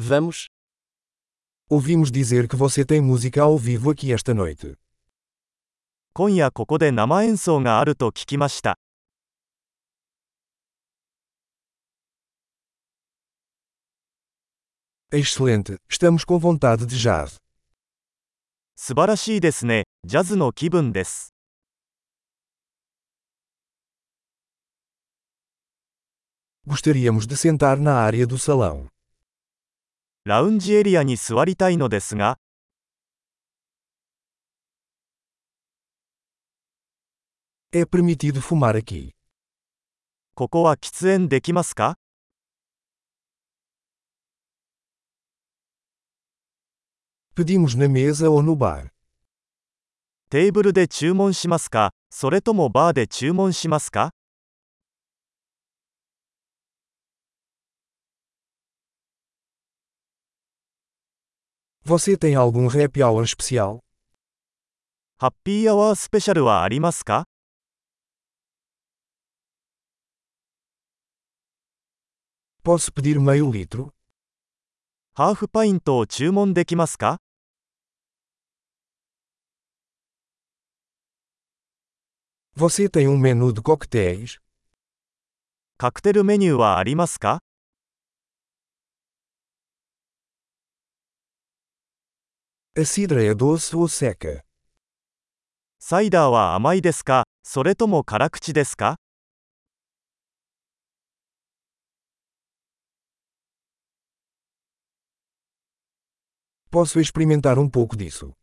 Vamos. Ouvimos dizer que você tem música ao vivo aqui esta noite. 今夜ここで生演奏があると聞きました。Excelente, estamos com vontade de jazz. 素晴らしいですね。ジャズの気分です。Gostaríamos de sentar na área do salão. ラウンジエリアに座りたいのですが、É permitido fumar aqui. ここは喫煙できますか？ Pedimos na mesa ou no bar. テーブルで注文しますか？それともバーで注文しますか？ Você tem algum happy hour especial? ハッピーアワースペシャルはありますか？ Posso pedir meio litro? ハーフパイントを注文できますか？ Você tem menu de coquetéis? カクテルメニューはありますか？ A cidra é doce ou seca? サイダーは甘いですか？それとも辛口ですか？ Posso experimentar pouco disso?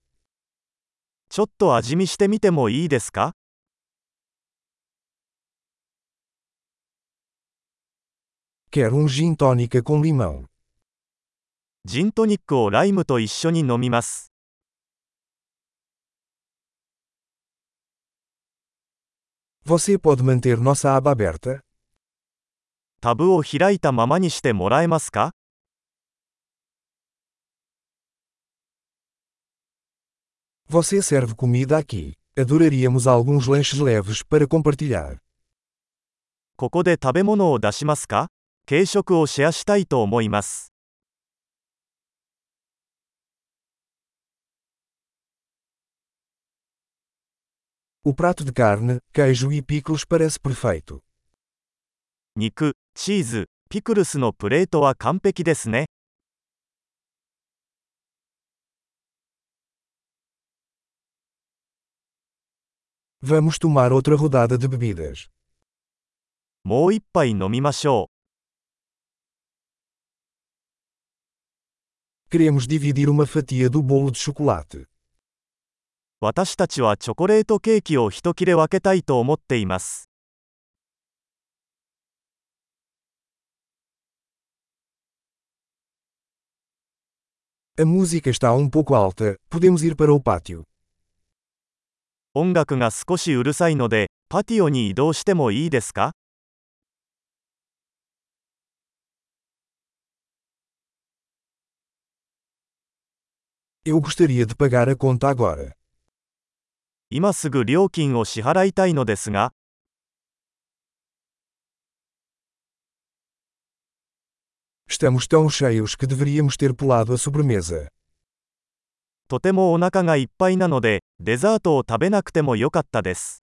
ちょっと味見してみてもいいですか？ Quero gin tônica com limão. ジントニックをライムと一緒に飲みます。Você pode manter nossa aba aberta? タブを開いたままにしてもらえますか？ Você serve comida aqui. Adoraríamos alguns lanches leves para compartilhar. ここで食べ物を出しますか？軽食をシェアしたいと思います。O prato de carne, queijo e picles parece perfeito. 肉、チーズ、ピクルスのプレートは完璧ですね。Vamos tomar outra rodada de bebidas. もう一杯飲みましょ Queremos dividir uma fatia do bolo de chocolate. う。私たちはチョコレートケーキを一切れ分けたいと思っています。A música está pouco alta, podemos ir para o pátio. 音楽が少しうるさいので、パティオに移動してもいいですか？ Eu gostaria de pagar a conta agora. 今すぐ料金を支払いたいのですが、Estamos tão cheios que deveríamos ter pulado a sobremesa. とてもお腹がいっぱいなので、デザートを食べなくてもよかったです。